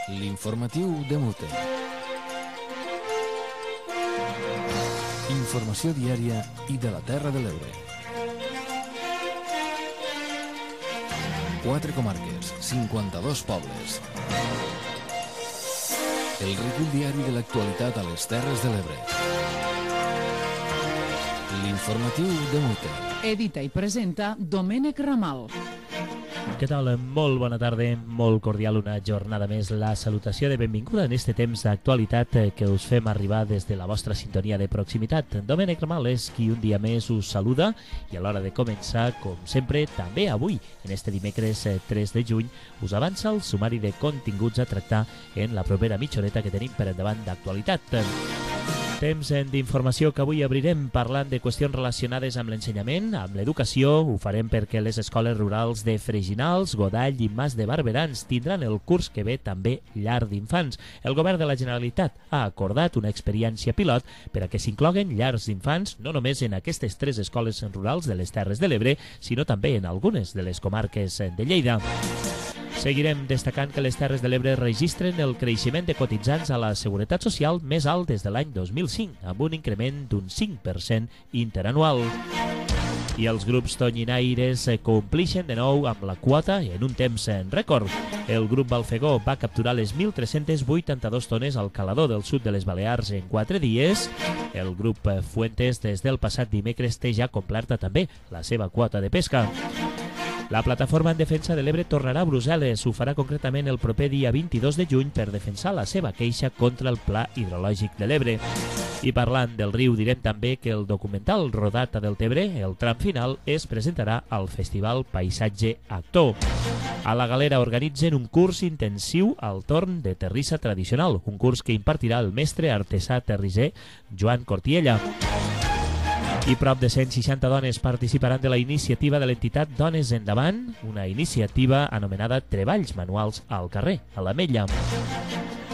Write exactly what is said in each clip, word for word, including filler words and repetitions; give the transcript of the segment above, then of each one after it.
L'informatiu de Mute. Informació diària i de la Terra de l'Ebre. Quatre comarques, cinquanta-dos pobles. El recull diari de l'actualitat a les Terres de l'Ebre. L'informatiu de Mute. Edita i presenta Domènec Ramal. Què tal? Molt bona tarda, molt cordial una jornada més. La salutació de benvinguda en este temps d'actualitat que us fem arribar des de la vostra sintonia de proximitat. Domènec Ramal és qui un dia més us saluda i a l'hora de començar, com sempre, també avui, en este dimecres tres de juny, us avança el sumari de continguts a tractar en la propera mitja horeta que tenim per endavant d'actualitat. Temps d'informació que avui obrirem parlant de qüestions relacionades amb l'ensenyament, amb l'educació. Ho farem perquè les escoles rurals de Freginals, Godall i Mas de Barberans tindran el curs que ve també llar d'infants. El govern de la Generalitat ha acordat una experiència pilot per a que s'incloguen llars d'infants no només en aquestes tres escoles rurals de les Terres de l'Ebre, sinó també en algunes de les comarques de Lleida. Seguirem destacant que les Terres de l'Ebre registren el creixement de cotitzants a la Seguretat Social més alt des de l'any dos mil cinc, amb un increment d'un cinc per cent interanual. I els grups tonyinaires complixen de nou amb la quota en un temps rècord. El grup Balfegó va capturar les mil tres-cents vuitanta-dues tones al calador del sud de les Balears en quatre dies. El grup Fuentes des del passat dimecres té ja complerta també la seva quota de pesca. La plataforma en defensa de l'Ebre tornarà a Brussel·les. Ho farà concretament el proper dia vint-i-dos de juny per defensar la seva queixa contra el Pla Hidrològic de l'Ebre. I parlant del riu, direm també que el documental rodat a Deltebre, el tram final, es presentarà al Festival Paisatge Actor. A la Galera organitzen un curs intensiu al torn de terrissa tradicional, un curs que impartirà el mestre artesà terrisser Joan Cortiella. I prop de cent seixanta dones participaran de la iniciativa de l'entitat Dones Endavant, una iniciativa anomenada Treballs Manuals al carrer, a l'Ametlla.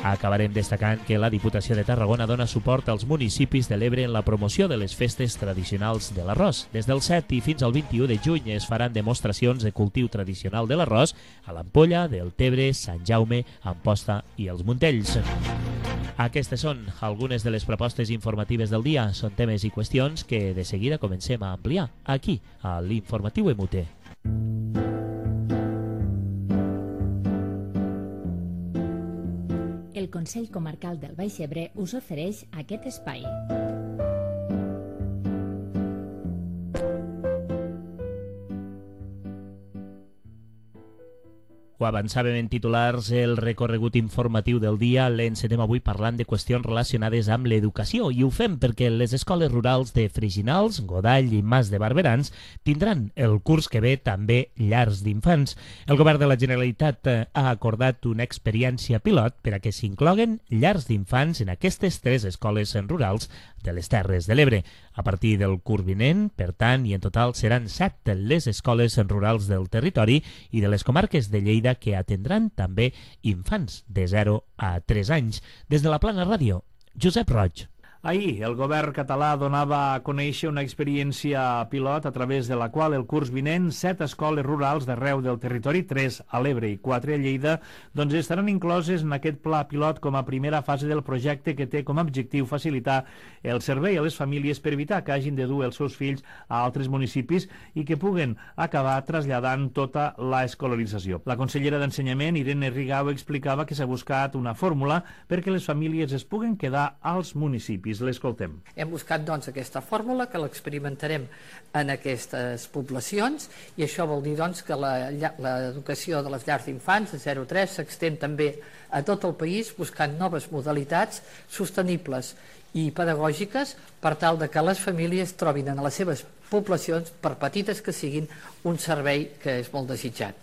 Acabarem destacant que la Diputació de Tarragona dona suport als municipis de l'Ebre en la promoció de les festes tradicionals de l'arròs. Des del set i fins al vint-i-u de juny es faran demostracions de cultiu tradicional de l'arròs a l'Ampolla, Deltebre, Sant Jaume, Amposta i els Montells. Aquestes són algunes de les propostes informatives del dia. Són temes i qüestions que de seguida comencem a ampliar aquí, a l'Informatiu M U T. El Consell Comarcal del Baix Ebre us ofereix aquest espai. Ho avançàvem en titulars, el recorregut informatiu del dia l'encetem avui parlant de qüestions relacionades amb l'educació i ho fem perquè les escoles rurals de Freginals, Godall i Mas de Barberans tindran el curs que ve també llars d'infants. El govern de la Generalitat ha acordat una experiència pilot per a que s'incloguen llars d'infants en aquestes tres escoles rurals de les Terres de l'Ebre. A partir del curs vinent, per tant, i en total seran set les escoles rurals del territori i de les comarques de Lleida que atendran també infants de zero a tres anys. Des de la Plana Ràdio, Josep Roig. Ahir, el govern català donava a conèixer una experiència pilot a través de la qual el curs vinent set escoles rurals d'arreu del territori, tres a l'Ebre i quatre a Lleida, doncs estaran incloses en aquest pla pilot com a primera fase del projecte que té com a objectiu facilitar el servei a les famílies per evitar que hagin de dur els seus fills a altres municipis i que puguen acabar traslladant tota la escolarització. La consellera d'Ensenyament, Irene Rigau, explicava que s'ha buscat una fórmula perquè les famílies es puguen quedar als municipis. L'escoltem. Hem buscat doncs aquesta fórmula que l'experimentarem en aquestes poblacions i això vol dir doncs que l'educació de les llars d'infants de zero a tres s'extén també a tot el país buscant noves modalitats sostenibles i pedagògiques per tal de que les famílies trobin en les seves poblacions, per petites que siguin, un servei que és molt desitjat.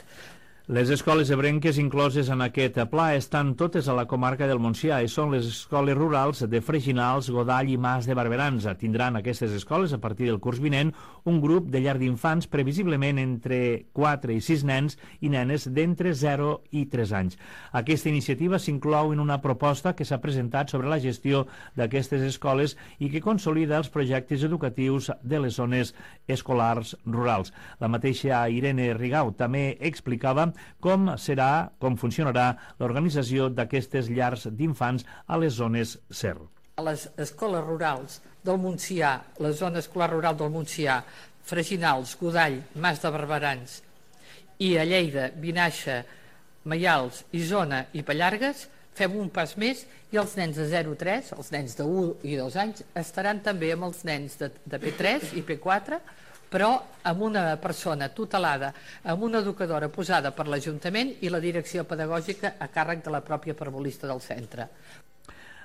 Les escoles ebrenques incloses en aquest pla estan totes a la comarca del Montsià i són les escoles rurals de Freginals, Godall i Mas de Barberans. Tindran aquestes escoles, a partir del curs vinent, un grup de llar d'infants previsiblement entre quatre i sis nens i nenes d'entre zero i tres anys. Aquesta iniciativa s'inclou en una proposta que s'ha presentat sobre la gestió d'aquestes escoles i que consolida els projectes educatius de les zones escolars rurals. La mateixa Irene Rigau també explicava com serà, com funcionarà l'organització d'aquestes llars d'infants a les zones S E R. A les escoles rurals del Montsià, la zona escolar rural del Montsià, Freginals, Godall, Mas de Barberans i a Lleida, Vinaixa, Maials, Isona i Pallargues, fem un pas més i els nens de zero a tres, els nens de u i dos anys, estaran també amb els nens de, de P tres i P quatre, però amb una persona tutelada, amb una educadora posada per l'Ajuntament i la direcció pedagògica a càrrec de la pròpia parvulista del centre.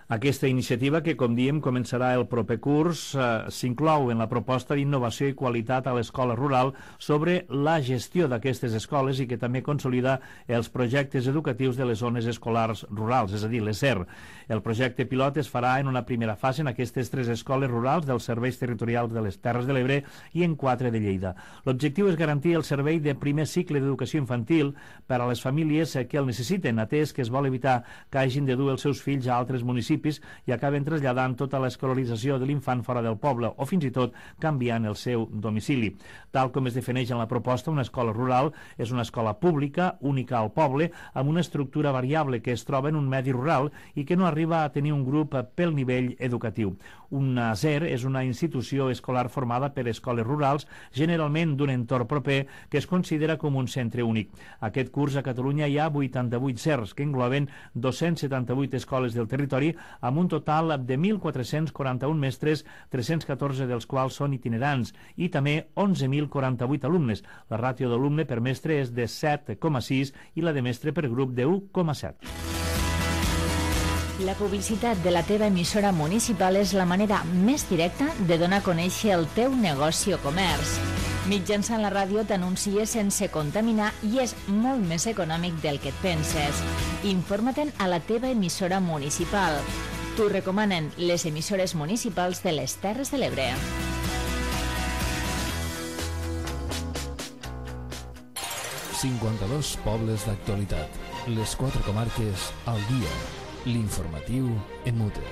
Aquesta iniciativa, que com diem començarà el proper curs, eh, s'inclou en la proposta d'innovació i qualitat a l'escola rural sobre la gestió d'aquestes escoles i que també consolida els projectes educatius de les zones escolars rurals, és a dir, les S E R. El projecte pilot es farà en una primera fase en aquestes tres escoles rurals dels serveis territorials de les Terres de l'Ebre i en quatre de Lleida. L'objectiu és garantir el servei de primer cicle d'educació infantil per a les famílies que el necessiten, atès que es vol evitar que hagin de dur els seus fills a altres municipis i acaben traslladant tota l'escolarització de l'infant fora del poble o fins i tot canviant el seu domicili. Tal com es defineix en la proposta, una escola rural és una escola pública, única al poble, amb una estructura variable que es troba en un medi rural i que no arriba a tenir un grup pel nivell educatiu. Una S E R és una institució escolar formada per escoles rurals, generalment d'un entorn proper, que es considera com un centre únic. Aquest curs a Catalunya hi ha vuitanta-vuit S E Rs, que engloben dos-cents setanta-vuit escoles del territori, amb un total de mil quatre-cents quaranta-un mestres, tres-cents catorze dels quals són itinerants, i també onze mil quaranta-vuit alumnes. La ràtio d'alumne per mestre és de set coma sis i la de mestre per grup de u coma set. La publicitat de la teva emissora municipal és la manera més directa de donar a conèixer el teu negoci o comerç. Mitjançant la ràdio t'anuncies sense contaminar i és molt més econòmic del que et penses. Informa-te'n a la teva emissora municipal. T'ho recomanen les emissores municipals de les Terres de l'Ebre. cinquanta-dos pobles d'actualitat. Les quatre comarques al dia. L'informatiu en Mute.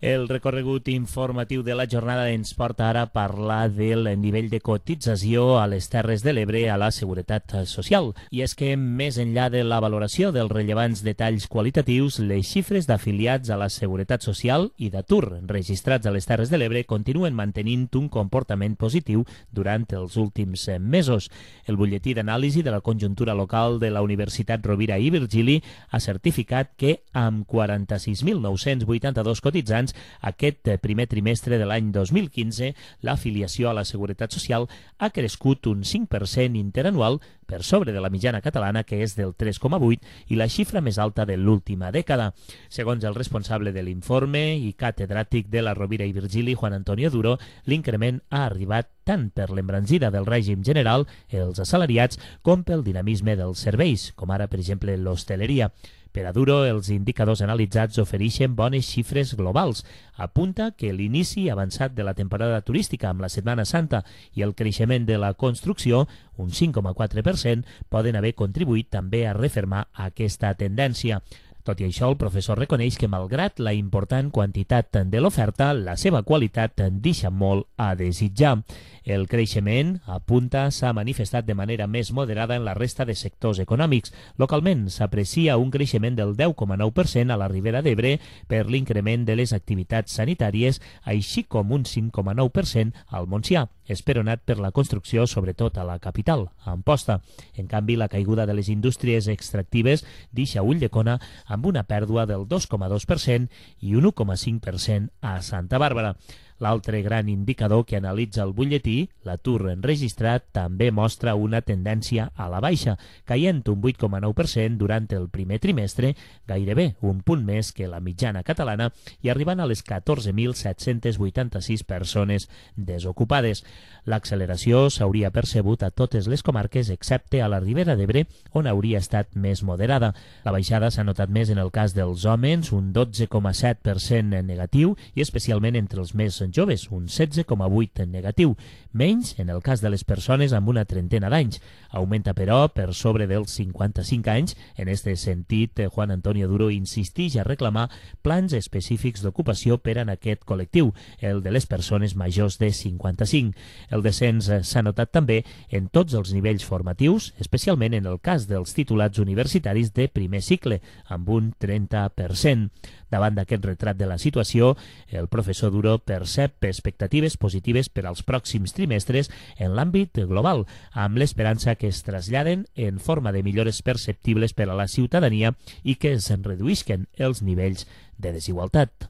El recorregut informatiu de la jornada ens porta ara a parlar del nivell de cotització a les Terres de l'Ebre a la Seguretat Social. I és que, més enllà de la valoració dels rellevants detalls qualitatius, les xifres d'afiliats a la Seguretat Social i d'atur registrats a les Terres de l'Ebre continuen mantenint un comportament positiu durant els últims mesos. El butlletí d'anàlisi de la conjuntura local de la Universitat Rovira i Virgili ha certificat que, amb quaranta-sis mil nou-cents vuitanta-dos cotitzants, aquest primer trimestre de l'any dos mil quinze, l'afiliació a la Seguretat Social ha crescut un cinc per cent interanual per sobre de la mitjana catalana, que és del tres coma vuit, i la xifra més alta de l'última dècada. Segons el responsable de l'informe i catedràtic de la Rovira i Virgili, Juan Antonio Duro, l'increment ha arribat tant per l'embranzida del règim general, els assalariats, com pel dinamisme dels serveis, com ara, per exemple, l'hostaleria. Per a Duro, els indicadors analitzats ofereixen bones xifres globals. Apunta que l'inici avançat de la temporada turística amb la Setmana Santa i el creixement de la construcció, un cinc coma quatre per cent, poden haver contribuït també a refermar aquesta tendència. Tot i això, el professor reconeix que, malgrat la important quantitat de l'oferta, la seva qualitat deixa molt a desitjar. El creixement, apunta, s'ha manifestat de manera més moderada en la resta de sectors econòmics. Localment, s'aprecia un creixement del deu coma nou per cent a la Ribera d'Ebre per l'increment de les activitats sanitàries, així com un cinc coma nou per cent al Montsià, esperonat per la construcció, sobretot a la capital, a Amposta. En canvi, la caiguda de les indústries extractives deixa Ulldecona amb una pèrdua del dos coma dos per cent i un u coma cinc per cent a Santa Bàrbara. L'altre gran indicador que analitza el butlletí, l'atur enregistrat, també mostra una tendència a la baixa, caient un vuit coma nou per cent durant el primer trimestre, gairebé un punt més que la mitjana catalana, i arribant a les catorze mil set-cents vuitanta-sis persones desocupades. L'acceleració s'hauria percebut a totes les comarques, excepte a la Ribera d'Ebre, on hauria estat més moderada. La baixada s'ha notat més en el cas dels homes, un dotze coma set per cent negatiu, i especialment entre els més són joves, un setze coma vuit negatiu, menys en el cas de les persones amb una trentena d'anys. Augmenta, però, per sobre dels cinquanta-cinc anys. En aquest sentit, Juan Antonio Duro insisteix a reclamar plans específics d'ocupació per a aquest col·lectiu, el de les persones majors de cinquanta-cinc. El descens s'ha notat també en tots els nivells formatius, especialment en el cas dels titulats universitaris de primer cicle, amb un trenta per cent. Davant d'aquest retrat de la situació, el professor Duro percep expectatives positives per als pròxims trimestres en l'àmbit global, amb l'esperança que es traslladen en forma de millores perceptibles per a la ciutadania i que es reduïsquen els nivells de desigualtat.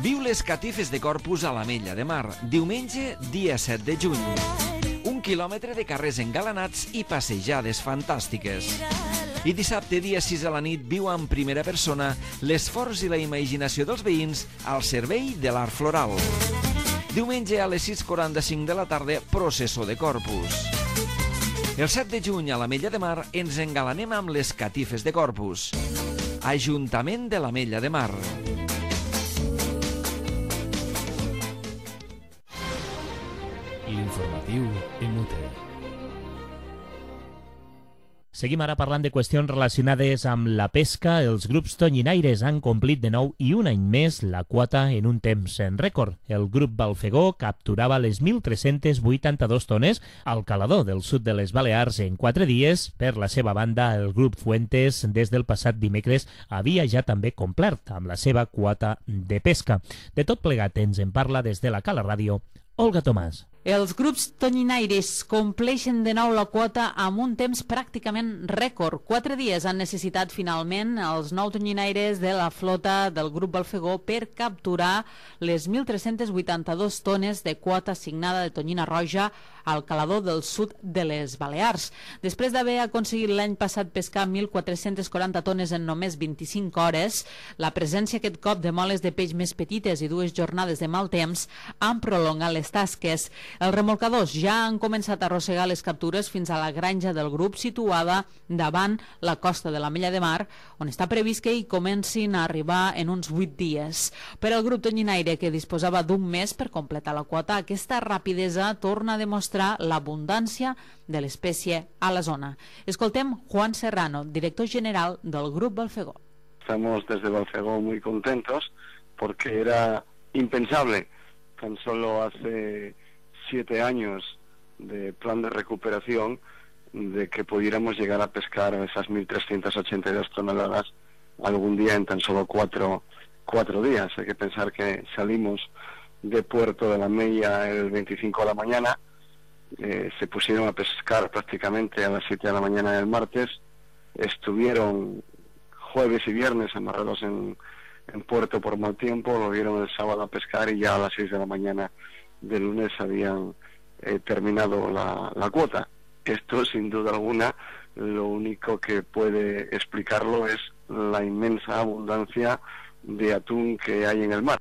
Viu les catifes de Corpus a l'Ametlla de Mar, diumenge, dia set de juny. Un quilòmetre de carrers engalanats i passejades fantàstiques. I dissabte, dia sis a la nit, viu en primera persona l'esforç i la imaginació dels veïns al servei de l'art floral. Diumenge a les sis quaranta-cinc de la tarda, processó de Corpus. El set de juny a l'Ametlla de Mar ens engalanem amb les catifes de Corpus. Ajuntament de l'Ametlla de Mar. L'informatiu en U T E. Seguim ara parlant de qüestions relacionades amb la pesca. Els grups tonyinaires han complit de nou i un any més la quota en un temps en rècord. El grup Balfegó capturava les mil tres-centes vuitanta-dues tones al calador del sud de les Balears en quatre dies. Per la seva banda, el grup Fuentes, des del passat dimecres, havia ja també complert amb la seva quota de pesca. De tot plegat ens en parla des de la Cala Ràdio, Olga Tomàs. Els grups tonyinaires compleixen de nou la quota amb un temps pràcticament rècord. Quatre dies han necessitat finalment els nou tonyinaires de la flota del grup Balfegó per capturar les mil tres-centes vuitanta-dues tones de quota assignada de tonyina roja al calador del sud de les Balears. Després d'haver aconseguit l'any passat pescar mil quatre-cents quaranta tones en només vint-i-cinc hores, la presència aquest cop de moles de peix més petites i dues jornades de mal temps han prolongat les tasques. Els remolcadors ja han començat a arrossegar les captures fins a la granja del grup situada davant la costa de l'Ametlla de Mar, on està previst que hi comencin a arribar en uns vuit dies. Per al grup tonyinaire, que disposava d'un mes per completar la quota, aquesta rapidesa torna a demostrar l'abundància de l'espècie a la zona. Escoltem Juan Serrano, director general del grup Balfegó. Estamos desde Balfegó muy contentos porque era impensable tan solo hace siete años de plan de recuperación de que pudiéramos llegar a pescar esas mil trescientas ochenta y dos toneladas algún día en tan solo cuatro, cuatro días. Hay que pensar que salimos de Puerto de la Mella el veinticinco de la mañana, eh, se pusieron a pescar prácticamente a las siete de la mañana del martes, estuvieron jueves y viernes amarrados en, en Puerto por mal tiempo, lo vieron el sábado a pescar y ya a las seis de la mañana de lunes habían eh, terminado la, la cuota. Esto, sin duda alguna, lo único que puede explicarlo es la inmensa abundancia de atún que hay en el mar.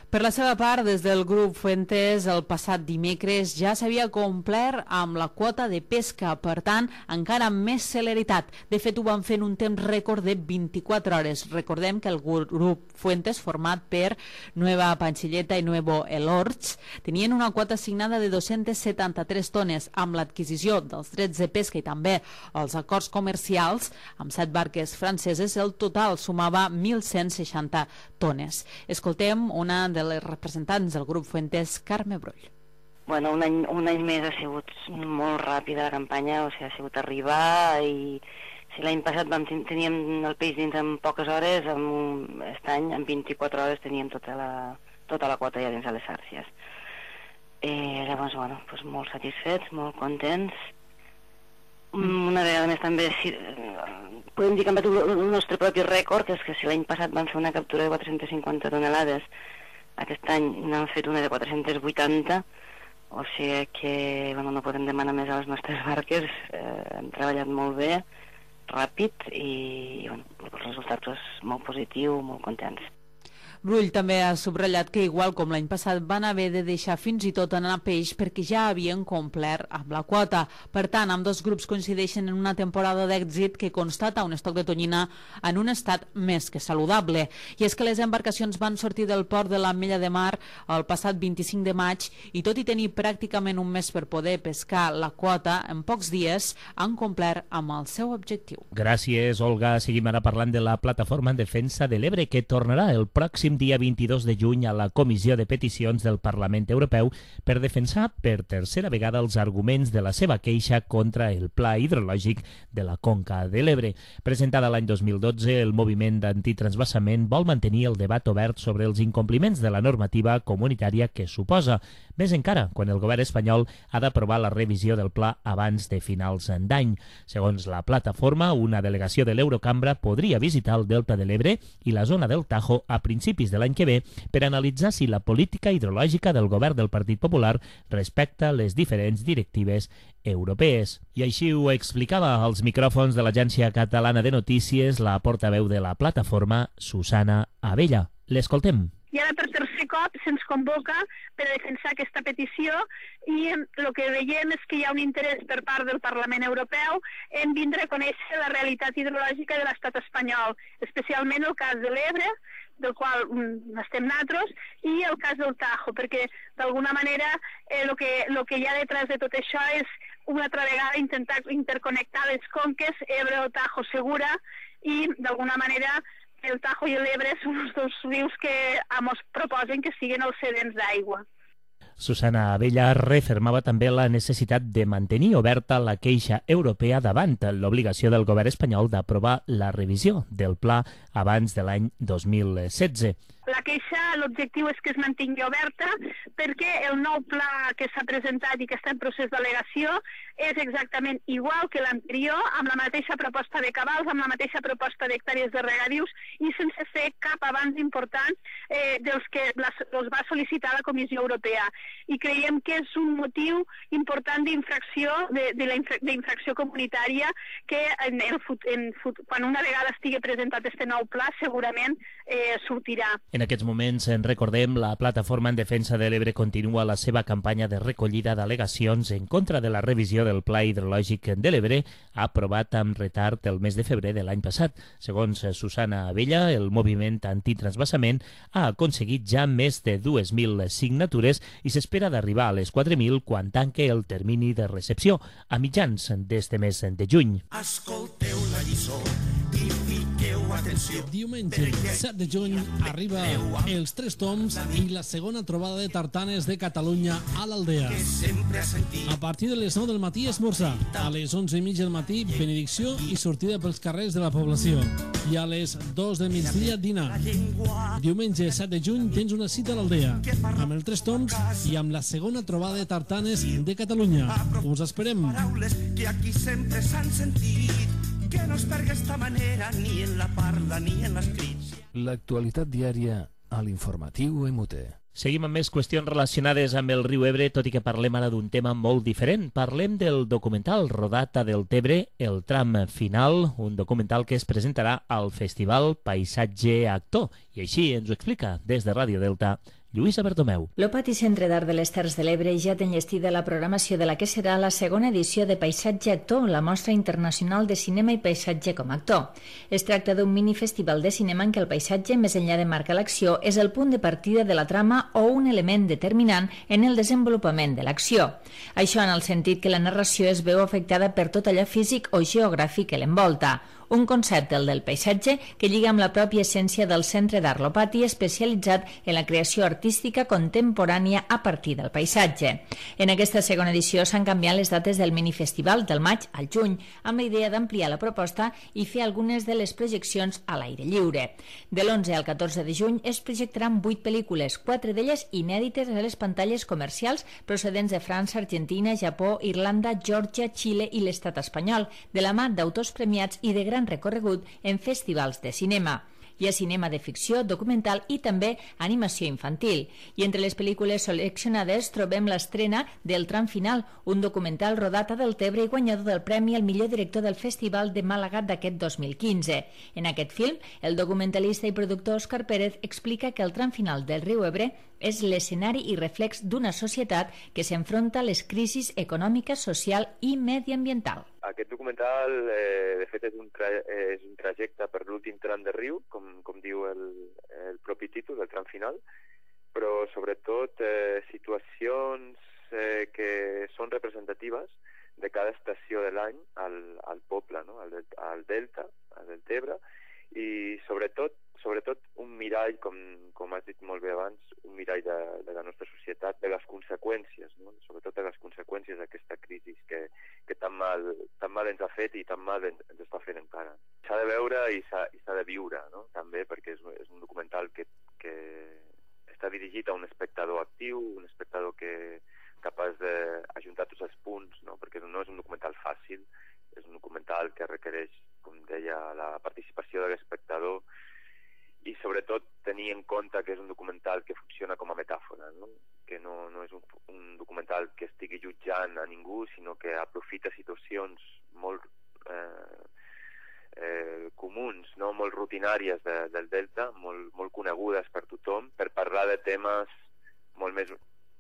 Per la seva part, des del grup Fuentes, el passat dimecres ja s'havia complert amb la quota de pesca, per tant, encara amb més celeritat. De fet, ho van fer en un temps rècord de vint-i-quatre hores. Recordem que el grup Fuentes, format per Nueva Panchilleta i Nuevo Elorts, tenien una quota assignada de dos-centes setanta-tres tones. Amb l'adquisició dels drets de pesca i també els acords comercials amb set barques franceses, el total sumava mil cent seixanta tones. Escoltem una de les representants del grup Fuentes, Carme Brull. Bueno, un any, un any més ha sigut molt ràpida la campanya, o sigui, ha sigut arribar i si l'any passat vam, teníem el peix dins en poques hores, amb, aquest any en vint-i-quatre hores teníem tota la, tota la quota ja dins de les xàrcies. Eh, llavors, bueno, doncs molt satisfets, molt contents. Una vegada més també si, podem dir que hem batut el nostre propi rècord, que és que si l'any passat vam fer una captura de quatre-centes cinquanta tonelades, aquest any n'han fet una de quatre-centes vuitanta, o sigui que bueno, no podem demanar més a les nostres barques, eh, hem treballat molt bé, ràpid i, i bueno, el resultat és molt positiu, molt contents. Rull també ha subratllat que, igual com l'any passat, van haver de deixar fins i tot anar a peix perquè ja havien complert amb la quota. Per tant, amb dos grups coincideixen en una temporada d'èxit que constata un estoc de tonyina en un estat més que saludable. I és que les embarcacions van sortir del port de l'Ametlla de Mar el passat vint-i-cinc de maig i, tot i tenir pràcticament un mes per poder pescar la quota, en pocs dies han complert amb el seu objectiu. Gràcies, Olga. Seguim ara parlant de la Plataforma en Defensa de l'Ebre, que tornarà el pròxim dia vint-i-dos de juny a la Comissió de Peticions del Parlament Europeu per defensar per tercera vegada els arguments de la seva queixa contra el Pla Hidrològic de la Conca de l'Ebre. Presentada l'any dos mil dotze, el moviment d'antitransvasament vol mantenir el debat obert sobre els incompliments de la normativa comunitària que suposa, més encara quan el govern espanyol ha d'aprovar la revisió del pla abans de finals d'any. Segons la plataforma, una delegació de l'Eurocambra podria visitar el Delta de l'Ebre i la zona del Tajo a principis de l'any que ve per analitzar si la política hidrològica del govern del Partit Popular respecta les diferents directives europees. I així ho explicava als micròfons de l'Agència Catalana de Notícies la portaveu de la plataforma, Susana Abella. L'escoltem. I ara per tercer cop se'ns convoca per a defensar aquesta petició i el que veiem és que hi ha un interès per part del Parlament Europeu en vindre a conèixer la realitat hidrològica de l'estat espanyol, especialment el cas de l'Ebre, del qual mm, estem nosaltres, i el cas del Tajo, perquè d'alguna manera el eh, que, lo que hi ha detrás de tot això és una altra vegada intentar interconnectar les conques Ebre o Tajo Segura i d'alguna manera el Tajo i l'Ebre són els dos rius que ens proposen que siguin els cedents d'aigua. Susana Abella refermava també la necessitat de mantenir oberta la queixa europea davant l'obligació del govern espanyol d'aprovar la revisió del pla abans de l'any dos mil setze. La queixa, l'objectiu és que es mantingui oberta perquè el nou pla que s'ha presentat i que està en procés d'al·legació és exactament igual que l'anterior, amb la mateixa proposta de cabals, amb la mateixa proposta d'hectàrees de regadius i sense fer cap avanç important eh, dels que els va sol·licitar la Comissió Europea. I creiem que és un motiu important d'infracció de, de la infra, d'infracció comunitària que en el, en, quan una vegada estigui presentat este nou pla segurament eh, sortirà. En aquests moments, en recordem, la Plataforma en Defensa de l'Ebre continua la seva campanya de recollida d'al·legacions en contra de la revisió del Pla Hidrològic de l'Ebre, aprovat amb retard el mes de febrer de l'any passat. Segons Susana Abella, el moviment antitransvasament ha aconseguit ja més de dues mil signatures i s'espera d'arribar a les quatre mil quan tanque el termini de recepció, a mitjans d'este mes de juny. Escolteu la lliçó i fiqueu atenció. Diumenge, set de juny, arriba Els Tres Toms i la segona trobada de tartanes de Catalunya a l'Aldea. A partir de les nou del matí, esmorzar. A les onze i mitja del matí, benedicció i sortida pels carrers de la població. I a les dos del migdia, dinar. Diumenge, set de juny, tens una cita a l'Aldea, amb els Tres Toms i amb la segona trobada de tartanes de Catalunya. Us esperem. Que aquí sempre s'han sentit, que no es perga esta manera ni en la parla ni en les crits. L'actualitat diària a l'informatiu M U T. Seguim amb més qüestions relacionades amb el riu Ebre, tot i que parlem ara d'un tema molt diferent. Parlem del documental rodat a Deltebre, el tram final, un documental que es presentarà al Festival Paisatge Actor. I així ens ho explica des de Ràdio Delta Lluïsa Bertomeu. L'Opati Centre d'Art de les Terres de l'Ebre ja té enllestida la programació de la que serà la segona edició de Paisatge Actor, la mostra internacional de cinema i paisatge com a actor. Es tracta d'un minifestival de cinema en què el paisatge, més enllà de marcar l'acció, és el punt de partida de la trama o un element determinant en el desenvolupament de l'acció. Això en el sentit que la narració es veu afectada per tot allò físic o geogràfic que l'envolta. Un concepte, el del paisatge, que lliga amb la pròpia essència del Centre d'Art L'Opati, especialitzat en la creació artística contemporània a partir del paisatge. En aquesta segona edició s'han canviat les dates del minifestival del maig al juny, amb la idea d'ampliar la proposta i fer algunes de les projeccions a l'aire lliure. De l'onze al catorze de juny es projectaran vuit pel·lícules, quatre d'elles inèdites a les pantalles comercials procedents de França, Argentina, Japó, Irlanda, Geòrgia, Xile i l'estat espanyol, de la mà d'autors premiats i de gran recorregut en festivals de cinema. Hi ha cinema de ficció, documental i també animació infantil. I entre les pel·lícules seleccionades trobem l'estrena del Tram Final, un documental rodat a Deltebre i guanyador del premi al millor director del Festival de Màlaga d'aquest dos mil quinze. En aquest film, el documentalista i productor Òscar Pérez explica que el tram final del riu Ebre és l'escenari i reflex d'una societat que s'enfronta a les crisis econòmica, social i mediambiental. Aquest documental, eh, de fet, és un, tra és un trajecte per l'últim tram de riu, com, com diu el, el propi títol, el tram final, però sobretot eh, situacions eh, que són representatives de cada estació de l'any al, al poble, no? al, al Delta, al Deltebre, i sobretot sobretot un mirall, com, com has dit molt bé abans, un mirall de, de la nostra societat, de les conseqüències, no? Sobretot de les conseqüències d'aquesta crisi que, que tan, mal, tan mal ens ha fet i tan mal ens, ens està fent encara. S'ha de veure i s'ha de viure, no? També, perquè és, és un documental que, que està dirigit a un espectador actiu, un espectador que capaç d'ajuntar tots els punts, no? Perquè no és un documental fàcil, és un documental que requereix, com deia, la participació de l'espectador i sobretot tenir en compte que és un documental que funciona com a metàfora, no? Que no, no és un, un documental que estigui jutjant a ningú, sinó que aprofita situacions molt eh, eh, comuns, no? Molt rutinàries de, del Delta, molt, molt conegudes per tothom, per parlar de temes molt més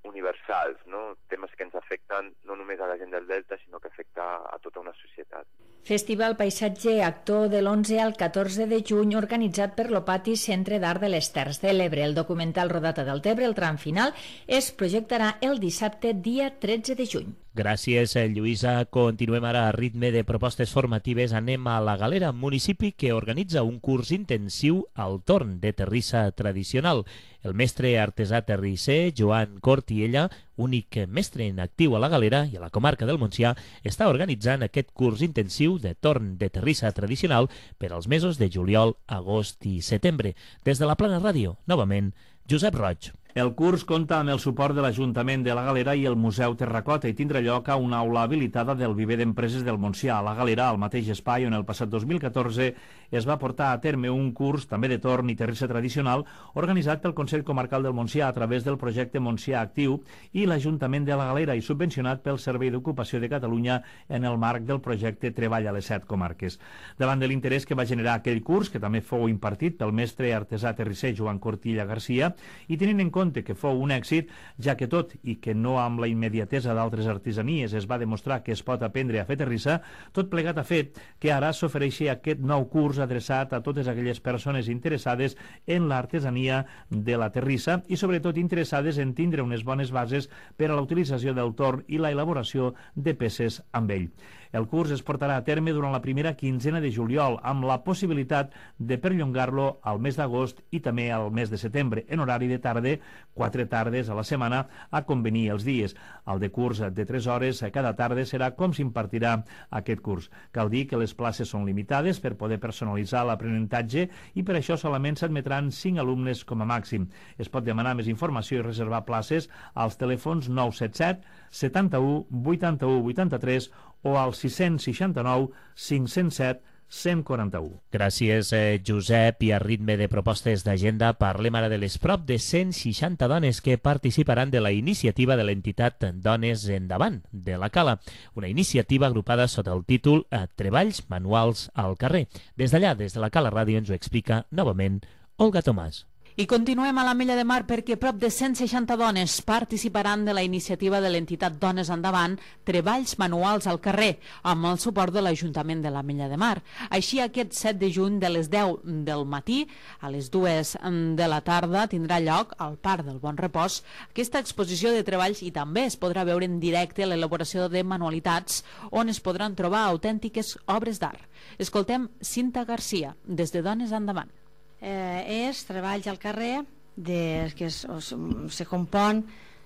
universals, no? Temes que ens afecten no només a la gent del Delta, sinó que afecta a tota una societat. Festival Paisatge Actor de l'onze al catorze de juny, organitzat per l'Opati Centre d'Art de les Terres de l'Ebre. El documental rodat a Deltebre, el tram final, es projectarà el dissabte, dia tretze de juny. Gràcies, Lluïsa. Continuem ara a ritme de propostes formatives. Anem a la Galera, municipi que organitza un curs intensiu al torn de terrissa tradicional. El mestre artesà terrisser, Joan Cortiella, únic mestre en actiu a la Galera i a la comarca del Montsià, està organitzant aquest curs intensiu de torn de terrissa tradicional per als mesos de juliol, agost i setembre. Des de la Plana Ràdio, novament, Josep Roig. El curs compta amb el suport de l'Ajuntament de la Galera i el Museu Terracota i tindrà lloc a una aula habilitada del Viver d'Empreses del Montsià, a la Galera, al mateix espai on el passat dos mil catorze es va portar a terme un curs també de torn i terrissa tradicional organitzat pel Consell Comarcal del Montsià a través del projecte Montsià Actiu i l'Ajuntament de la Galera i subvencionat pel Servei d'Ocupació de Catalunya en el marc del projecte Treball a les set comarques. Davant de l'interès que va generar aquell curs, que també fou impartit pel mestre artesà terrisser Joan Cortilla Garcia, i tenint en compte que fou un èxit, ja que tot i que no amb la immediatesa d'altres artesanies es va demostrar que es pot aprendre a fer terrissa, tot plegat ha fet que ara s'ofereixi aquest nou curs adreçat a totes aquelles persones interessades en l'artesania de la terrissa i sobretot interessades en tindre unes bones bases per a la utilització del torn i la elaboració de peces amb ell. El curs es portarà a terme durant la primera quinzena de juliol, amb la possibilitat de perllongar-lo al mes d'agost i també al mes de setembre, en horari de tarda, quatre tardes a la setmana, a convenir els dies. El de curs de tres hores a cada tarda serà com s'impartirà aquest curs. Cal dir que les places són limitades per poder personalitzar l'aprenentatge i per això solament s'admetran cinc alumnes com a màxim. Es pot demanar més informació i reservar places als telèfons nou set set, setanta-u, vuitanta-u, vuitanta-tres o al sis cents seixanta-nou, cinc-cents set, cent quaranta-u. Gràcies, eh, Josep. I a ritme de propostes d'agenda parlem ara de les prop de cent seixanta dones que participaran de la iniciativa de l'entitat Dones Endavant de la Cala, una iniciativa agrupada sota el títol Treballs Manuals al Carrer. Des d'allà, des de la Cala Ràdio, ens ho explica novament Olga Tomàs. I continuem a l'Ametlla de Mar perquè prop de cent seixanta dones participaran de la iniciativa de l'entitat Dones Endavant, Treballs Manuals al Carrer, amb el suport de l'Ajuntament de l'Ametlla de Mar. Així, aquest set de juny, de les deu del matí a les dues de la tarda, tindrà lloc al Parc del Bon Repòs aquesta exposició de treballs i també es podrà veure en directe l'elaboració de manualitats on es podran trobar autèntiques obres d'art. Escoltem Cinta Garcia, des de Dones Endavant. Eh, és treballs al carrer de, que es, es, se compon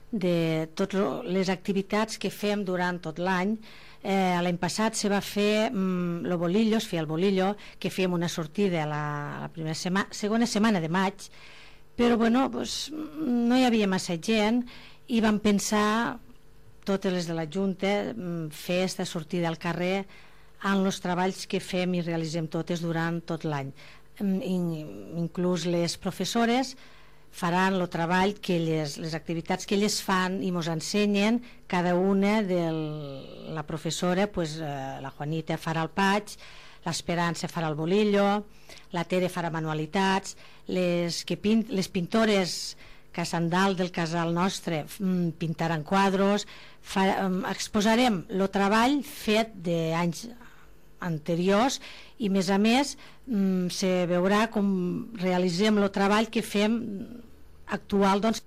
de totes les activitats que fem durant tot l'any. Eh, l'any passat se va fer mm, el bolillo, es feia el bolillo, que fèiem una sortida a la, a la primera sema, segona setmana de maig, però bueno, pues, no hi havia massa gent i vam pensar, totes les de la Junta, fer aquesta sortida al carrer en els treballs que fem i realitzem totes durant tot l'any. inclús les professores, faran el treball que elles, les activitats que elles fan i ens ensenyen. Cada una de la professora, pues, eh, la Juanita farà el patx, l'Esperança farà el bolillo, la Tere farà manualitats, les, que pint, les pintores que a Sant Dalt del casal nostre pintaran quadros, fa, exposarem el treball fet d'anys anteriors i, més a més, se veurà com realitzem el treball que fem actual. Doncs.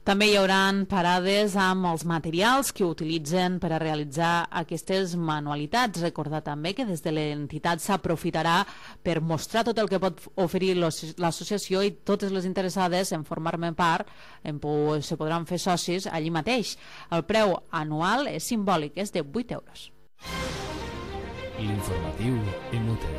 També hi haurà parades amb els materials que utilitzen per a realitzar aquestes manualitats. Recordar també que des de l'entitat s'aprofitarà per mostrar tot el que pot oferir l'associació i totes les interessades en formar-ne part en, se podran fer socis allí mateix. El preu anual és simbòlic, és de vuit euros. L'informatiu Imute.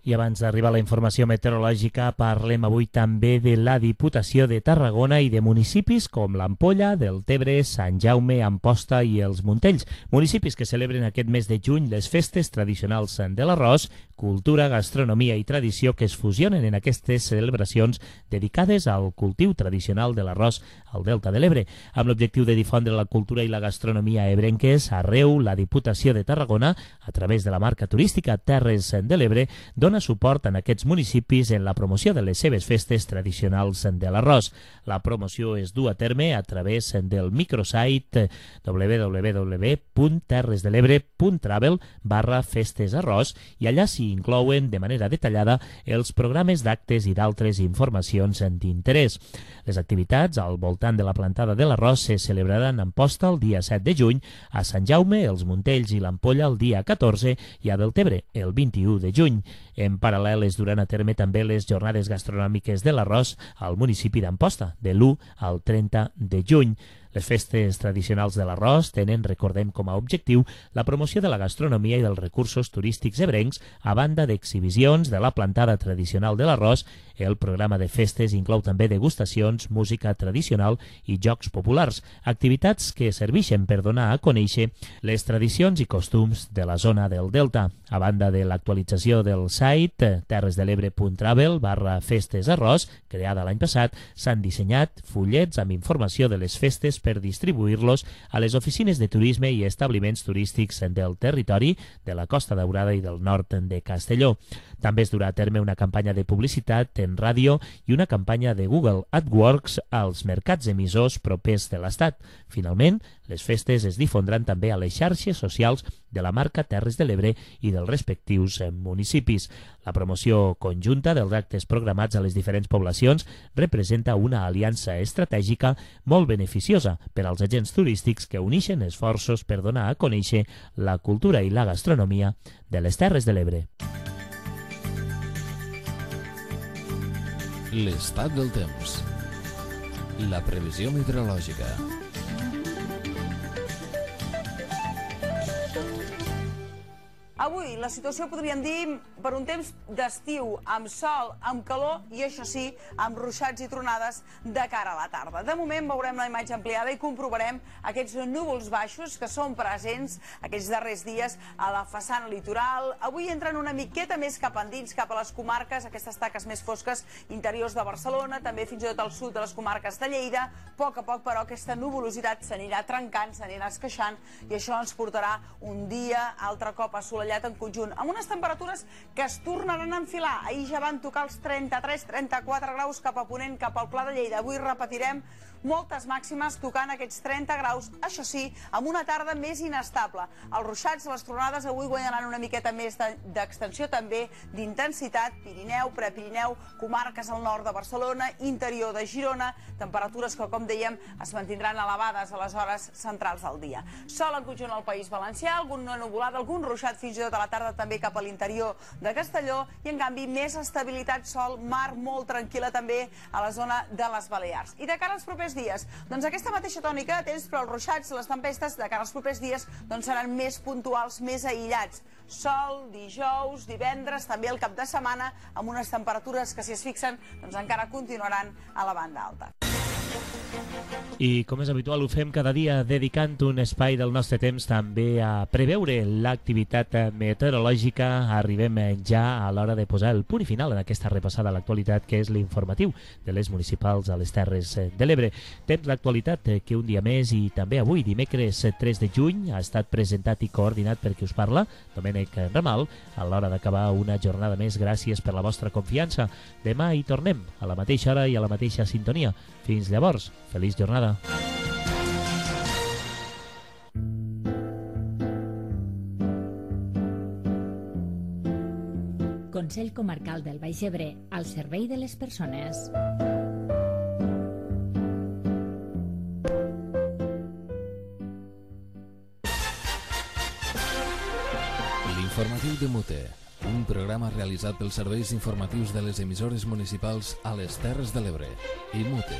I abans d'arribar a la informació meteorològica, parlem avui també de la Diputació de Tarragona i de municipis com l'Ampolla, Deltebre, Sant Jaume, Amposta i els Montells. Municipis que celebren aquest mes de juny les festes tradicionals de l'arròs, cultura, gastronomia i tradició que es fusionen en aquestes celebracions dedicades al cultiu tradicional de l'arròs al Delta de l'Ebre. Amb l'objectiu de difondre la cultura i la gastronomia ebrenques, arreu la Diputació de Tarragona, a través de la marca turística Terres de l'Ebre, dona suport en aquests municipis en la promoció de les seves festes tradicionals de l'arròs. La promoció es du a terme a través del microsite w w w punt terres de l'ebre punt travel barra festes arròs i allà s'hi inclouen de manera detallada els programes d'actes i d'altres informacions d'interès. Les activitats al voltant de la plantada de l'arròs se celebraran en Amposta el dia set de juny, a Sant Jaume, els Montells i l'Ampolla el dia catorze i a Deltebre el vint-i-u de juny. En paral·lel es duran a terme també les jornades gastronòmiques de l'arròs al municipi d'Amposta, de l'u al trenta de juny. Les festes tradicionals de l'arròs tenen, recordem com a objectiu, la promoció de la gastronomia i dels recursos turístics ebrencs a banda d'exhibicions de la plantada tradicional de l'arròs. El programa de festes inclou també degustacions, música tradicional i jocs populars, activitats que serveixen per donar a conèixer les tradicions i costums de la zona del Delta. A banda de l'actualització del site terresdelebre punt travel barra festes arròs, creada l'any passat, s'han dissenyat fullets amb informació de les festes per distribuir-los a les oficines de turisme i establiments turístics del territori de la Costa Daurada i del nord de Castelló. També es durà a terme una campanya de publicitat en ràdio i una campanya de Google AdWords als mercats emissors propers de l'Estat. Finalment, les festes es difondran també a les xarxes socials de la marca Terres de l'Ebre i dels respectius municipis. La promoció conjunta dels actes programats a les diferents poblacions representa una aliança estratègica molt beneficiosa per als agents turístics que uneixen esforços per donar a conèixer la cultura i la gastronomia de les Terres de l'Ebre. L'estat del temps. La previsió meteorològica. Avui la situació podríem dir per un temps d'estiu, amb sol, amb calor i, això sí, amb ruixats i tronades de cara a la tarda. De moment veurem la imatge ampliada i comprovarem aquests núvols baixos que són presents aquests darrers dies a la façana litoral. Avui entren una miqueta més cap endins, cap a les comarques, aquestes taques més fosques interiors de Barcelona, també fins i tot al sud de les comarques de Lleida. A poc a poc, però, aquesta nuvolositat s'anirà trencant, s'anirà esqueixant i això ens portarà un dia altre cop assolellat en conjunt, amb unes temperatures que es tornaran a enfilar. Ahir ja van tocar els trenta-tres trenta-quatre graus cap a ponent, cap al Pla de Lleida. Avui repetirem moltes màximes tocant aquests trenta graus, això sí, amb una tarda més inestable. Els ruixats, les tronades avui guanyaran una miqueta més d'extensió, també d'intensitat. Pirineu, Prepirineu, comarques al nord de Barcelona, interior de Girona, temperatures que, com dèiem, es mantindran elevades a les hores centrals del dia. Sol en conjunt al País Valencià, algun nuvolat, algun ruixat fins i tot a la tarda també cap a l'interior de Castelló i, en canvi, més estabilitat, sol, mar molt tranquil·la també a la zona de les Balears. I de cara als propers dies, doncs aquesta mateixa tònica de temps, però els ruixats, les tempestes de cara als propers dies doncs seran més puntuals, més aïllats. Sol, dijous, divendres, també el cap de setmana, amb unes temperatures que, si es fixen, doncs encara continuaran a la banda alta. I com és habitual ho fem cada dia dedicant un espai del nostre temps també a preveure l'activitat meteorològica. Arribem ja a l'hora de posar el punt i final en aquesta repassada a l'actualitat que és l'informatiu de les municipals a les Terres de l'Ebre. Temps d'actualitat que un dia més i també avui, dimecres tres de juny, ha estat presentat i coordinat per qui us parla, Domènec Ramal, a l'hora d'acabar una jornada més. Gràcies per la vostra confiança. Demà hi tornem a la mateixa hora i a la mateixa sintonia. Fins llavors, feliç jornada. Consell Comarcal del Baix Ebre, al servei de les persones. L'informatiu de Mute, un programa realitzat pels serveis informatius de les emissores municipals a les Terres de l'Ebre i Mute.